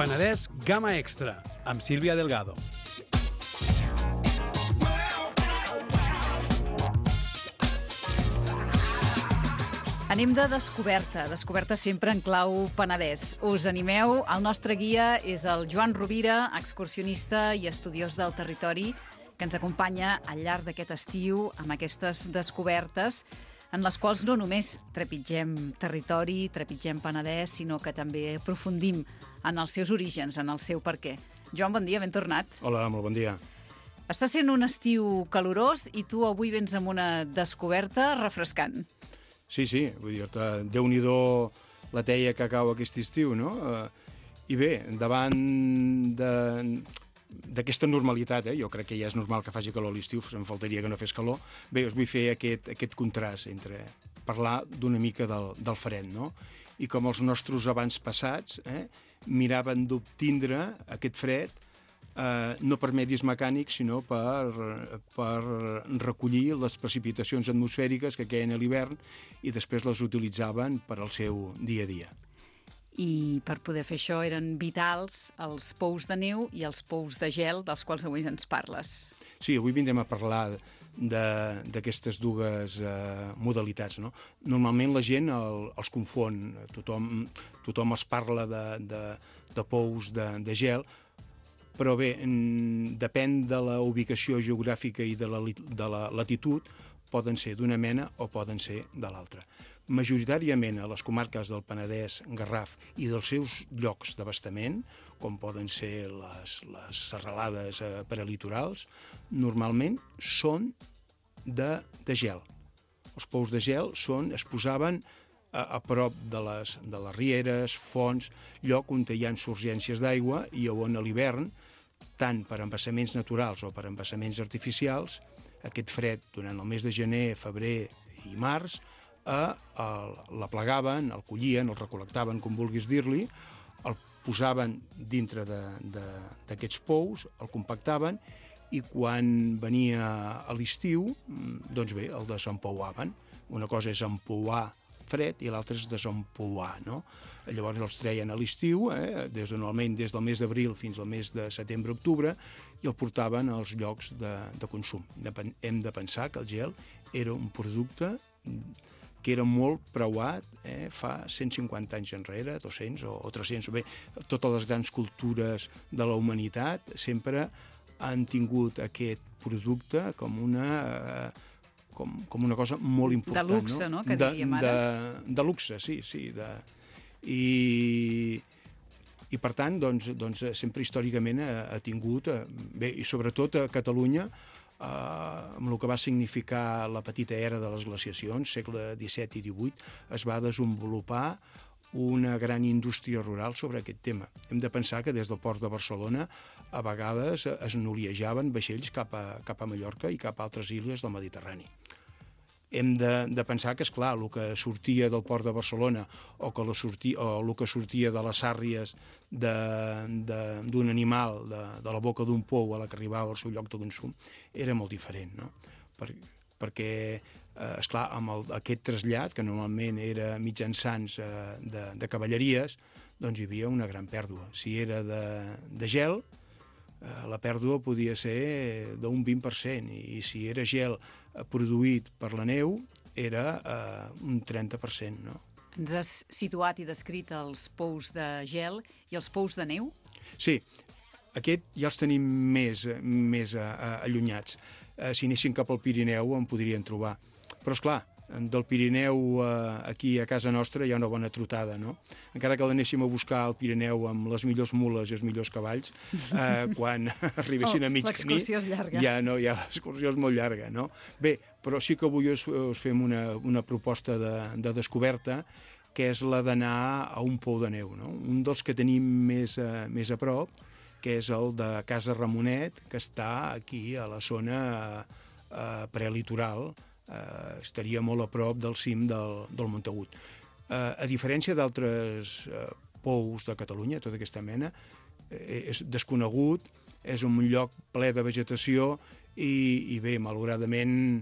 Penedès Gamma Extra, amb Sílvia Delgado. Anem de descoberta sempre en clau Penedès. Us animeu? El nostre guia és el Joan Rovira, excursionista i estudiós del territori, que ens acompanya al llarg d'aquest estiu amb aquestes descobertes en les quals no només trepitgem territori, trepitgem Penedès, sinó que també aprofundim en els seus orígens, en el seu perquè. Joan, bon dia, ben tornat. Hola, molt bon dia. Està sent un estiu calorós i tu avui vens amb una descoberta refrescant. Sí, vull dir, Déu-n'hi-do la teia que cau aquest estiu, no? I bé, davant d'aquesta normalitat, jo crec que ja és normal que faci calor a l'estiu, em faltaria que no fes calor, bé, us vull fer aquest contrast entre parlar d'una mica del fred, no? I com els nostres abans passats miraven d'obtindre aquest fred no per medis mecànics, sinó per recollir les precipitacions atmosfèriques que queien a l'hivern i després les utilitzaven per al seu dia a dia. I per poder fer això eren vitals els pous de neu i els pous de gel dels quals avui ens parles. Sí, avui vindrem a parlar d'aquestes dues modalitats, no? Normalment la gent els confon, tothom els parla de pous de gel, però bé, depèn de la ubicació geogràfica i de la latitud, poden ser d'una mena o poden ser de l'altra. Majoritàriament a les comarques del Penedès, Garraf i dels seus llocs d'abastament, com poden ser les serralades prelitorals, normalment són de gel. Els pous de gel es posaven a prop de les rieres, fonts, lloc on hi ha surgències d'aigua i on a l'hivern, tant per embassaments naturals o per embassaments artificials, aquest fred durant el mes de gener, febrer i març, l'aplegaven, el collien, el recol·lectaven, com vulguis dir-li, el posaven dintre d'aquests pous, el compactaven i quan venia a l'estiu, doncs bé, el desempouaven. Una cosa és empouar fred i l'altre és desempouar, no? Llavors els treien a l'estiu, normalment des del mes d'abril fins al mes de setembre-octubre, i el portaven als llocs de consum. Hem de pensar que el gel era un producte que era molt preuat fa 150 anys enrere, 200 o 300. Bé, totes les grans cultures de la humanitat sempre han tingut aquest producte com una cosa molt important. De luxe, no? Que diríem ara. De luxe, sí. I per tant, doncs, sempre històricament ha tingut, bé, i sobretot a Catalunya, amb el que va significar la petita era de les glaciacions, segle XVII i XVIII, es va desenvolupar una gran indústria rural sobre aquest tema. Hem de pensar que des del port de Barcelona a vegades es noliejaven vaixells cap a Mallorca i cap a altres illes del Mediterrani. Hem de pensar que, esclar, el que sortia del port de Barcelona o el que sortia de les sàrries d'un animal, de la boca d'un pou a la que arribava al seu lloc de consum, era molt diferent, no? Perquè, esclar, amb aquest trasllat, que normalment era mitjançant de cavalleries, doncs hi havia una gran pèrdua. Si era de gel, la pèrdua podia ser d'un 20%, i si era gel produït per la neu, era un 30%, no? Ens has situat i descrit els pous de gel i els pous de neu? Sí, aquest ja els tenim més allunyats. Si anessin cap al Pirineu en podrien trobar. Però, esclar, del Pirineu aquí a casa nostra hi ha una bona trotada, no? Encara que l'anéssim a buscar al Pirineu amb les millors mules i els millors cavalls, quan arribessin a mig camí... L'excursió és llarga. Ja l'excursió és molt llarga, no? Bé, però sí que avui us fem una proposta de descoberta, que és la d'anar a un pou de neu, no? Un dels que tenim més a prop, que és el de Casa Ramonet, que està aquí a la zona prelitoral, estaria molt a prop del cim del Montagut. A diferència d'altres pous de Catalunya, tota aquesta mena, és desconegut, és un lloc ple de vegetació i bé, malauradament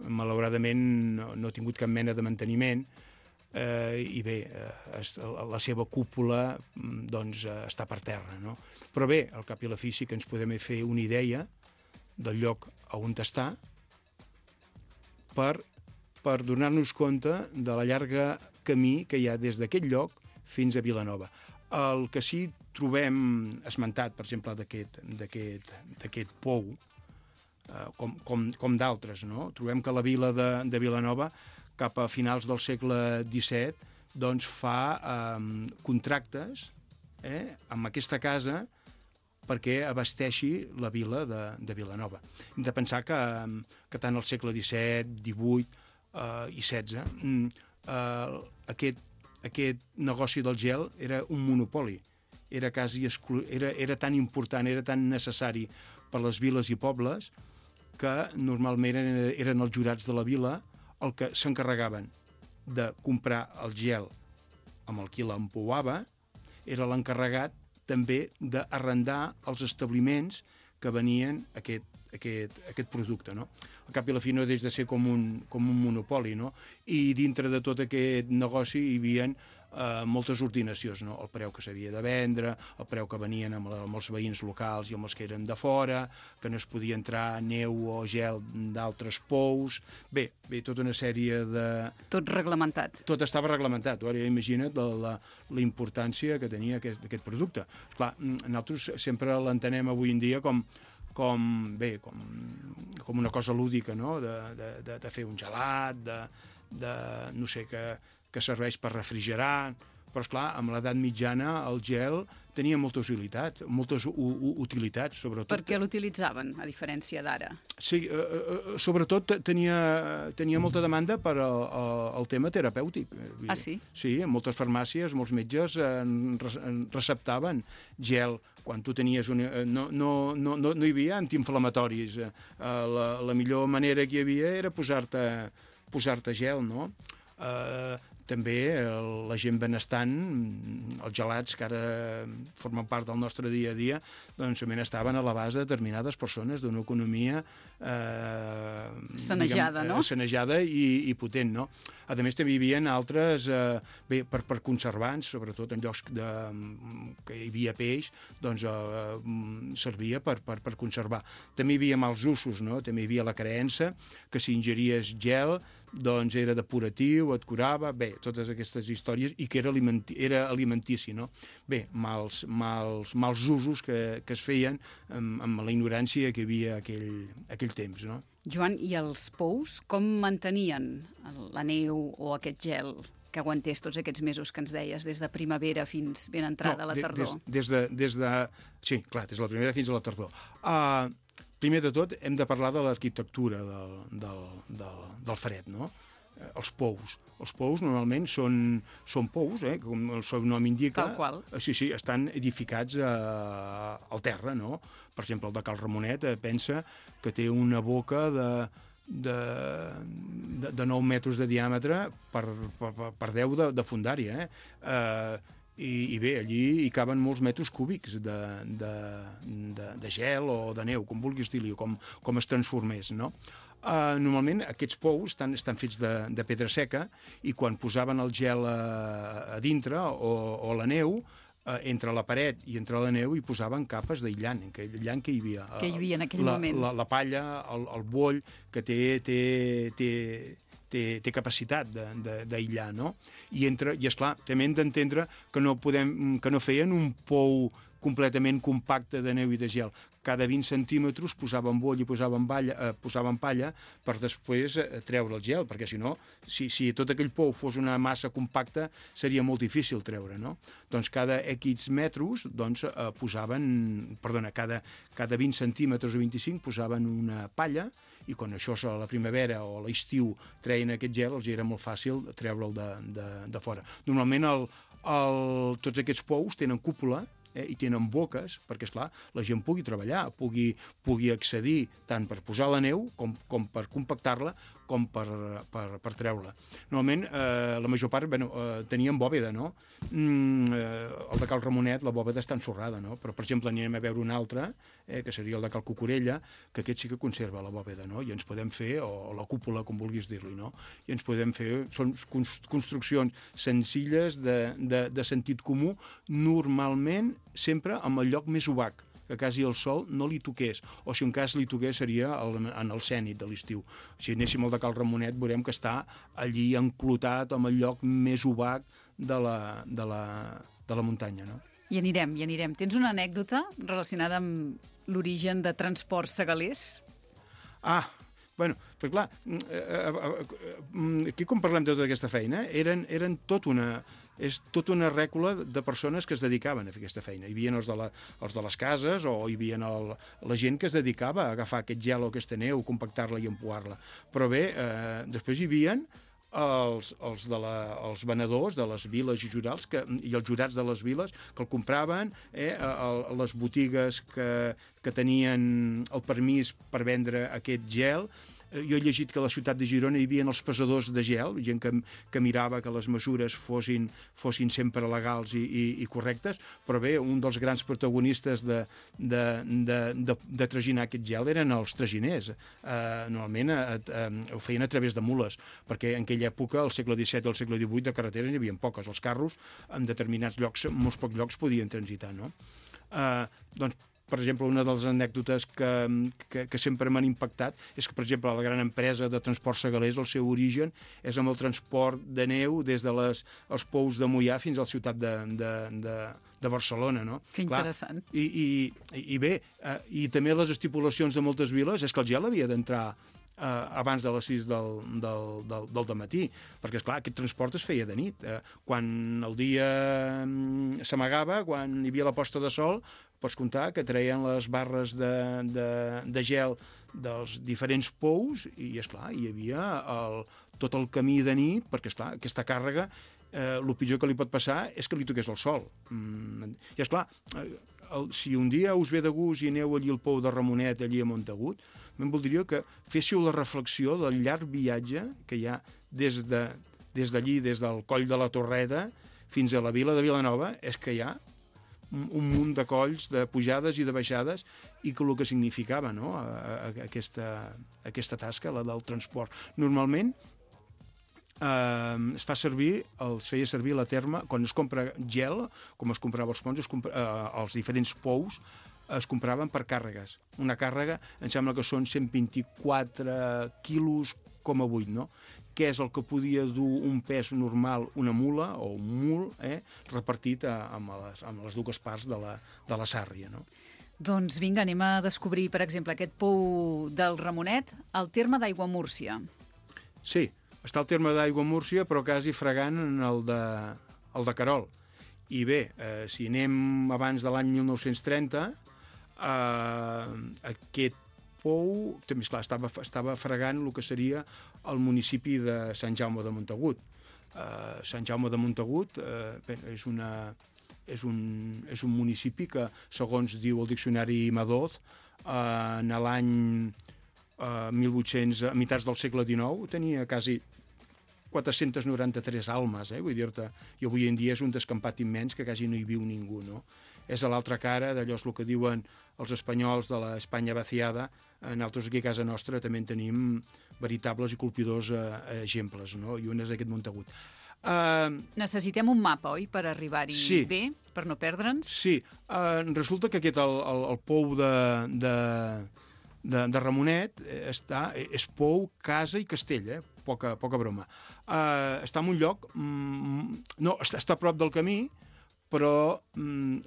no ha tingut cap mena de manteniment. i bé, la seva cúpula doncs, està per terra, no? Però bé, al cap i la fi sí que ens podem fer una idea del lloc on està per donar-nos compte de la llarga camí que hi ha des d'aquest lloc fins a Vilanova. El que sí trobem esmentat, per exemple, d'aquest pou, com d'altres, no? Trobem que la vila de Vilanova, cap a finals del segle XVII, doncs fa contractes amb aquesta casa perquè abasteixi la vila de Vilanova. Hem de pensar que tant al segle XVII, XVIII i XVI aquest negoci del gel era un monopoli. Era tan important, era tan necessari per les viles i pobles que normalment eren els jurats de la vila el que s'encarregaven de comprar el gel amb el qui l'empouava, era l'encarregat també d'arrendar els establiments que venien aquest producte, no? Al cap i la fi no deixa de ser com un monopoli, no? I dintre de tot aquest negoci hi havia moltes ordinacions, no? El preu que s'havia de vendre, el preu que venien amb els veïns locals i amb els que eren de fora, que no es podia entrar neu o gel d'altres pous. Bé, tota una sèrie de... Tot reglamentat. Tot estava reglamentat. Ara imagina't la importància que tenia aquest producte. Esclar, nosaltres sempre l'entenem avui en dia com una cosa lúdica, no? De fer un gelat, no sé, que serveix per refrigerar, però esclar, amb l'edat mitjana el gel tenia moltes utilitats, sobretot... Per què l'utilitzaven, a diferència d'ara? Sí, sobretot tenia molta demanda per al tema terapèutic. Ah, sí? Sí, en moltes farmàcies, molts metges receptaven gel. Quan tu tenies... No hi havia antiinflamatoris. La millor manera que hi havia era posar-te gel, no? També la gent benestant, els gelats que ara formen part del nostre dia a dia, doncs també estaven a l'abast de determinades persones d'una economia sanejada, no? Sanejada i potent, no? A més, també hi havia altres, per conservants, sobretot en llocs que hi havia peix, doncs servia per conservar. També hi havia mals usos, no? També hi havia la creença que si ingeries gel doncs era depuratiu, et curava, bé, totes aquestes històries, i que era alimentici, no? Bé, mals usos que es feien amb la ignorància que hi havia aquell temps, no? Joan, i els pous, com mantenien la neu o aquest gel que aguantés tots aquests mesos que ens deies, des de primavera fins ben entrada la tardor? Sí, clar, des de la primavera fins a la tardor. Primer de tot, hem de parlar de l'arquitectura del fred, no? Els pous. Els pous normalment són pous, com el seu nom indica. Tal qual. Sí, estan edificats al terra, no? Per exemple, el de Cal Ramonet pensa que té una boca de 9 metres de diàmetre per 10 de fondària, I bé, allí hi caben molts metres cúbics de gel o de neu, com vulguis dir-li, com es transformés, no? Normalment aquests pous estan fets de pedra seca i quan posaven el gel a dintre o la neu, entre la paret i entre la neu hi posaven capes d'aïllant que hi havia. Que hi havia en aquell moment. La palla, el boll, que té capacitat d'aïllar, no? I esclar, també hem d'entendre que no feien un pou completament compacte de neu i de gel. Cada 20 centímetres posaven boll i posaven palla per després treure el gel, perquè si no, si tot aquell pou fos una massa compacta, seria molt difícil treure, no? Doncs cada X metres cada 20 centímetres o 25 posaven una palla i quan això a la primavera o a l'estiu treien aquest gel, els era molt fàcil treure'l de fora. Normalment tots aquests pous tenen cúpula i tenen boques perquè, esclar, la gent pugui treballar, pugui accedir tant per posar la neu com per compactar-la, com per treure-la. Normalment, la major part tenien bòveda, no? El de Cal Ramonet, la bòveda està ensorrada, no? Però, per exemple, anirem a veure un altre, que seria el de Cal Cucurella, que aquest sí que conserva la bòveda, no? I ens podem fer, o la cúpula, com vulguis dir-li, no? I ens podem fer, són construccions senzilles de sentit comú, normalment sempre amb el lloc més obac, que quasi el sol no li toqués, o si un cas li toqués seria en el cènit de l'estiu. Si anéssim al de Cal Ramonet veurem que està allí enclotat amb el lloc més obac de la muntanya, no? Hi anirem. Tens una anècdota relacionada amb l'origen de Transports Segalers? Bueno, però clar, aquí quan parlem de tota aquesta feina, eren tot una rècula de persones que es dedicaven a fer aquesta feina. Hi havia els de les cases, o hi havia la gent que es dedicava a agafar aquest gel o aquesta neu, compactar-la i empuar-la. Però bé, després hi havia els venedors de les viles i jurats i els jurats de les viles que el compraven, les botigues que tenien el permís per vendre aquest gel. Jo he llegit que a la ciutat de Girona hi havia els pesadors de gel, gent que mirava que les mesures fossin sempre legals i correctes, però bé, un dels grans protagonistes de traginar aquest gel eren els traginers. Normalment ho feien a través de mules, perquè en aquella època, al segle XVII i al segle XVIII, de carreteres n'hi havia poques. Els carros, en determinats llocs, en molts pocs llocs, podien transitar, no? Doncs, per exemple, una de les anècdotes que sempre m'han impactat és que, per exemple, la gran empresa de Transports Segalers, el seu origen és amb el transport de neu des dels pous de Moià fins a la ciutat de Barcelona, no? Que interessant. I bé, i també les estipulacions de moltes viles és que el gel havia d'entrar abans de les 6 del dematí, perquè, esclar, aquest transport es feia de nit. Quan el dia s'amagava, quan hi havia la posta de sol, pots comptar que treien les barres de gel dels diferents pous i, esclar, hi havia tot el camí de nit, perquè, esclar, aquesta càrrega, el pitjor que li pot passar és que li toqués el sol. I, esclar, si un dia us ve de gust i aneu allí al pou de Ramonet, allí a Montagut, me'n voldria que féssiu la reflexió del llarg viatge que hi ha des d'allí, des del coll de la Torreta fins a la vila de Vilanova, és que hi ha un munt de colls, de pujades i de baixades, i que el que significava, no?, aquesta tasca, la del transport. Normalment es feia servir la terma, quan es compra gel, com es comprava als ponts, els diferents pous, es compraven per càrregues. Una càrrega, em sembla que són 124 quilos, 8, no? Què és el que podia dur un pes normal, una mula o un mul, repartit amb les dues parts de la sàrria, no? Doncs vinga, anem a descobrir, per exemple, aquest pou del Ramonet, al terme d'Aiguamúrcia. Sí, està al terme d'Aiguamúrcia, però quasi fregant el de Querol. I bé, si anem abans de l'any 1930, aquest pou, també, esclar, estava fregant el que seria el municipi de Sant Jaume de Montagut. Sant Jaume de Montagut és un municipi que, segons diu el diccionari Madoz, en l'any 1800, a mitats del segle XIX, tenia quasi 493 almes, vull dir-te, i avui en dia és un descampat immens que quasi no hi viu ningú, no? És a l'altra cara d'allò és el que diuen els espanyols de l'Espanya vaciada. Nosaltres aquí a casa nostra també en tenim veritables i colpidors exemples, no? I un és aquest Montagut. Necessitem un mapa, oi?, per arribar-hi bé, per no perdre'ns? Sí, resulta que aquest, el pou de Ramonet, és pou, casa i castell, poca broma. Està en un lloc, no, està a prop del camí, però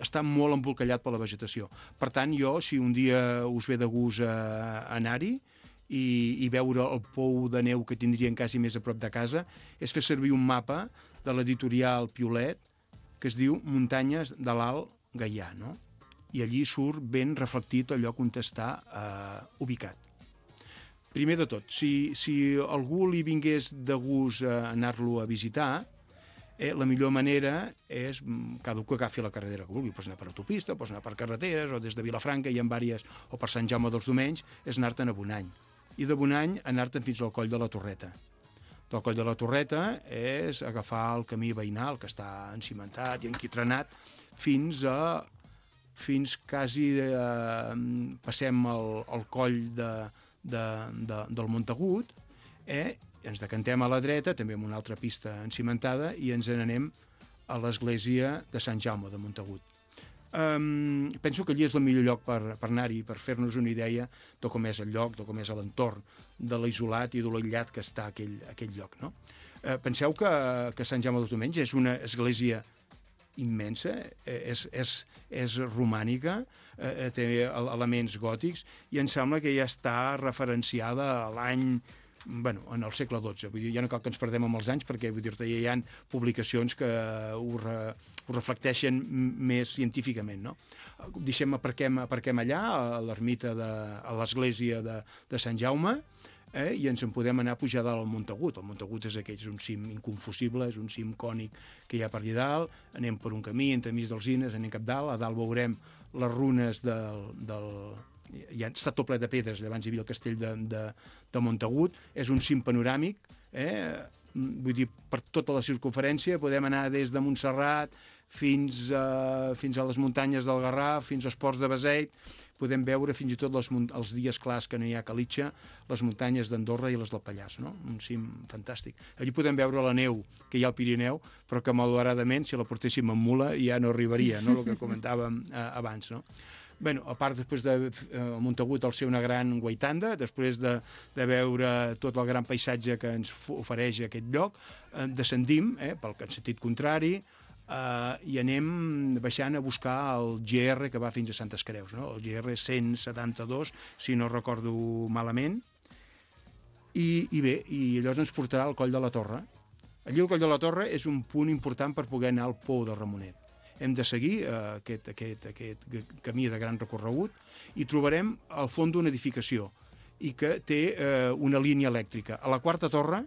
està molt embolcallat per la vegetació. Per tant, jo, si un dia us ve de gust anar-hi i veure el pou de neu que tindrien quasi més a prop de casa, és fer servir un mapa de l'editorial Piolet que es diu Muntanyes de l'Alt Gaià, no? I allí surt ben reflectit el lloc on està ubicat. Primer de tot, si algú li vingués de gust anar-lo a visitar, la millor manera és cada un que agafi la carretera que vulgui. Pots anar per autopista, pots anar per carreteres, o des de Vilafranca hi ha diverses, o per Sant Jaume dels Domenys, és anar-te'n a Bonany. i de Bonany anar-te'n fins al Coll de la Torreta. Del Coll de la Torreta és agafar el camí veïnal, que està encimentat i enquitrenat, fins quasi passem el coll del Montagut, ens decantem a la dreta, també amb una altra pista encimentada, i ens n'anem a l'església de Sant Jaume de Montagut. Penso que allí és el millor lloc per anar-hi, per fer-nos una idea de com és el lloc, de com és l'entorn, de l'isolat i de l'aïllat que està aquell lloc. No? Penseu que Sant Jaume dels Domenys és una església immensa, és romànica, té elements gòtics, i em sembla que ja està referenciada a l'any, en el segle XII. Vull dir, ja no cal que ens perdem amb els anys, perquè vull dir-te, ja hi ha publicacions que ho reflecteixen més científicament. No? Deixem, aparquem allà, a l'ermita, a l'església de Sant Jaume, i ens en podem anar a pujar dalt al Montagut. El Montagut és un cim inconfusible, és un cim cònic que hi ha per allà dalt, anem per un camí, entremig d'alzines, anem cap dalt, a dalt veurem les runes ja està tot ple de pedres, abans hi havia el castell de Montagut, és un cim panoràmic, vull dir, per tota la circunferència podem anar des de Montserrat fins a les muntanyes del Garraf, fins als Ports de Beseit, podem veure fins i tot els dies clars que no hi ha calitxa, les muntanyes d'Andorra i les del Pallars, no? Un cim fantàstic. Allí podem veure la neu que hi ha al Pirineu, però que malauradament, si la portéssim amb mula, ja no arribaria, no? El que comentàvem abans, no? A part, després de Montagut, al ser una gran guaitanda, després de veure tot el gran paisatge que ens ofereix aquest lloc, descendim pel sentit contrari, i anem baixant a buscar el GR que va fins a Santes Creus, no? El GR 172, si no recordo malament, i llavors ens portarà al Coll de la Torre. Allí el Coll de la Torre és un punt important per poder anar al Pou de Ramonet. Hem de seguir aquest camí de gran recorregut i trobarem al fons d'una edificació i que té una línia elèctrica. A la quarta torre,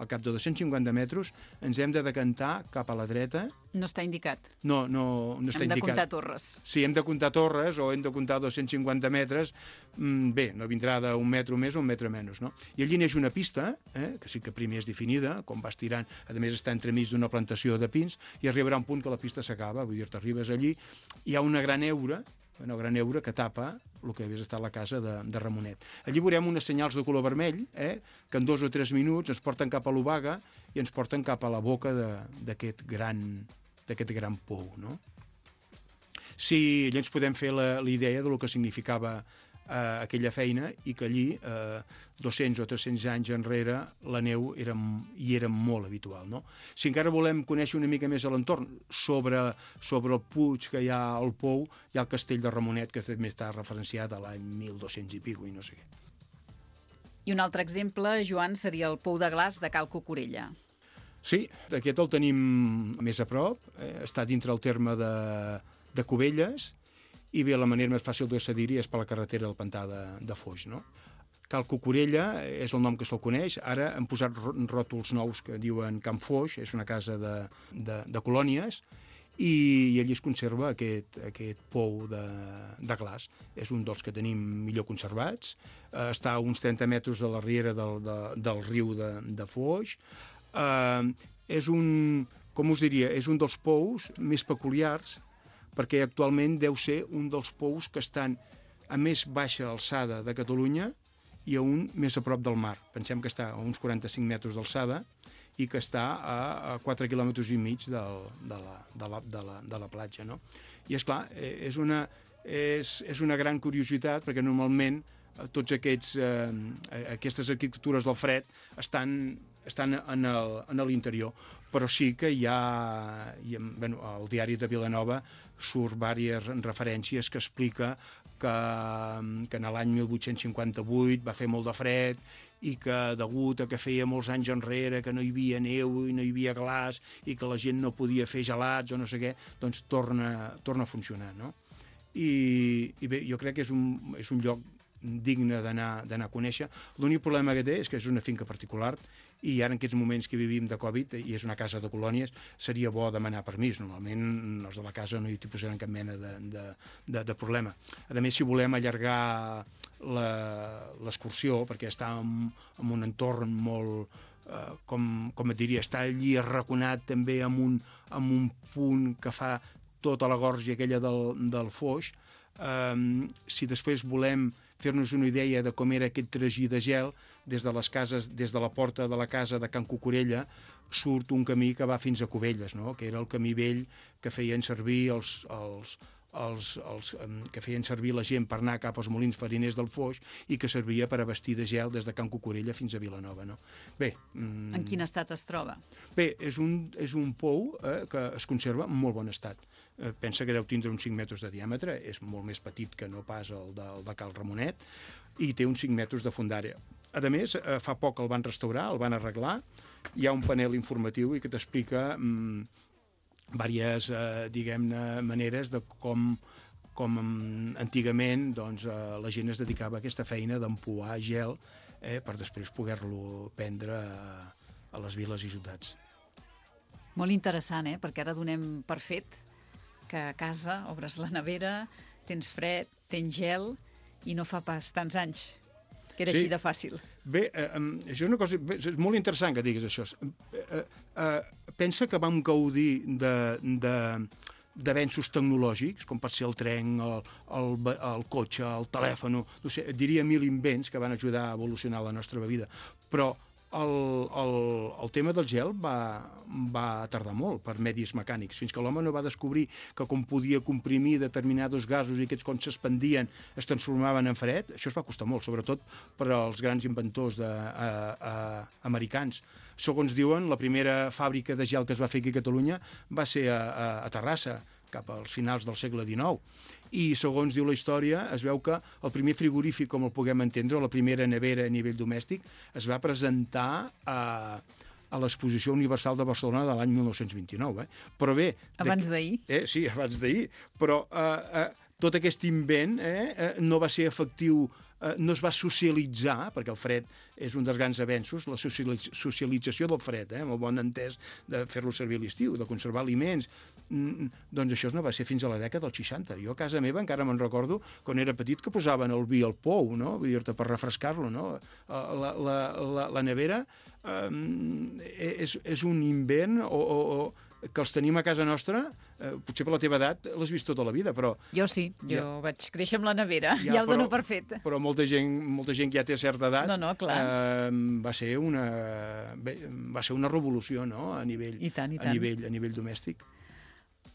al cap de 250 metres, ens hem de decantar cap a la dreta. No està indicat. No està indicat. Hem de comptar torres. Sí, hem de comptar torres o hem de comptar 250 metres. Bé, no vindrà d'un metre més o un metre menys, no? I allí neix una pista, que sí que primer és definida, com vas tirant, a més està entremig d'una plantació de pins, i arribarà un punt que la pista s'acaba, vull dir, t'arribes allí, hi ha una gran heura que tapa el que hagués estat la casa de Ramonet. Allí veurem unes senyals de color vermell, que en 2 o 3 minuts ens porten cap a l'Obaga i ens porten cap a la boca d'aquest gran pou, no? Sí, allà ens podem fer la idea del que significava aquella feina i que allí, 200 o 300 anys enrere, la neu era molt habitual. No? Si encara volem conèixer una mica més a l'entorn, sobre el puig que hi ha al pou, hi ha el castell de Ramonet, que també està referenciat a l'any 1200 i pico, i no sé què. I un altre exemple, Joan, seria el Pou de Glaç de Cal Cucurella. Sí, aquest el tenim més a prop, està dintre el terme de Cubelles, i bé, la manera més fàcil d'accedir-hi és per la carretera del Pantà de Foix, no? Cal Cucurella és el nom que se'l coneix, ara han posat ròtols nous que diuen Camp Foix, és una casa de colònies, i allí es conserva aquest pou de glaç. És un dels que tenim millor conservats, està a uns 30 metres de la riera del riu de Foix. És com us diria, és un dels pous més peculiars, perquè actualment deu ser un dels pous que estan a més baixa alçada de Catalunya i a un més a prop del mar. Pensem que està a uns 45 metres d'alçada i que està a 4 quilòmetres i mig de la platja. No? I, esclar, és una gran curiositat, perquè normalment tots aquestes arquitectures del fred estan en l'interior, però sí que hi ha al diari de Vilanova surt diverses referències que explica que en l'any 1858 va fer molt de fred i que degut a que feia molts anys enrere que no hi havia neu i no hi havia glaç i que la gent no podia fer gelats o no sé què, doncs torna a funcionar, no? I bé, jo crec que és un lloc digne d'anar a conèixer. L'únic problema que té és que és una finca particular i ara en aquests moments que vivim de Covid i és una casa de colònies, seria bo demanar permís. Normalment els de la casa no hi posaran cap mena de problema. A més, si volem allargar l'excursió, perquè està en un entorn molt, com et diria, està allí arraconat també amb un punt que fa tota la gorja aquella del Foix. Si després volem fer-nos una idea de com era aquest tragí de gel, des de la porta de la casa de Can Cucurella surt un camí que va fins a Cubelles, no? Que era el camí vell que feien servir que feien servir la gent per anar cap als molins fariners del Foix i que servia per abastir de gel des de Can Cucurella fins a Vilanova. No? Bé, en quin estat es troba? Bé, és un pou que es conserva en molt bon estat. Pensa que deu tindre uns 5 metres de diàmetre, és molt més petit que no pas el de Cal Ramonet, i té uns 5 metres de fondària. A més, fa poc el van restaurar, el van arreglar, hi ha un panel informatiu i que t'explica diverses, diguem-ne, maneres de com antigament doncs, la gent es dedicava a aquesta feina d'empuar gel per després poder-lo prendre a les viles i ciutats. Molt interessant, perquè ara donem per fet que a casa obres la nevera, tens fred, tens gel, i no fa pas tants anys que era així de fàcil. Bé, això és una cosa... És molt interessant que diguis això. Pensa que vam gaudir d'avenços tecnològics, com pot ser el tren, el cotxe, el telèfon, no sé, diria 1000 invents que van ajudar a evolucionar la nostra vida, però el tema del gel va tardar molt per medis mecànics, fins que l'home no va descobrir que com podia comprimir determinats gasos i aquests quan s'expandien es transformaven en fred. Això es va costar molt, sobretot per als grans inventors americans. Segons diuen, la primera fàbrica de gel que es va fer aquí a Catalunya va ser a Terrassa, cap als finals del segle XIX. I, segons diu la història, es veu que el primer frigorífic, com el puguem entendre, la primera nevera a nivell domèstic, es va presentar a l'Exposició Universal de Barcelona de l'any 1929. Però bé... Abans d'ahir? Sí, abans d'ahir. Però tot aquest invent no va ser efectiu, no es va socialitzar, perquè el fred és un dels grans avenços, la socialització del fred, amb el bon entès de fer-lo servir a l'estiu, de conservar aliments. Doncs això no va ser fins a la dècada dels 60. Jo a casa meva encara me'n recordo quan era petit que posaven el vi al pou, no? Vull dir-te, per refrescar-lo, no? La nevera és un invent que els tenim a casa nostra, potser per la teva edat l'has vist tota la vida, però... Jo sí, jo vaig créixer amb la nevera, ja ho dono per fet. Però molta gent que ja té certa edat va ser una revolució, no?, a nivell domèstic.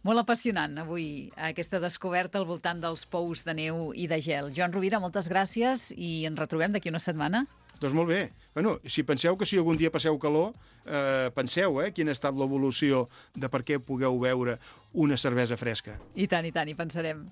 Molt apassionant avui aquesta descoberta al voltant dels pous de neu i de gel. Joan Rovira, moltes gràcies i ens retrobem d'aquí una setmana. Doncs molt bé. Bueno, si penseu que si algun dia passeu calor, penseu quina ha estat l'evolució de per què pugueu beure una cervesa fresca. I tant, hi pensarem.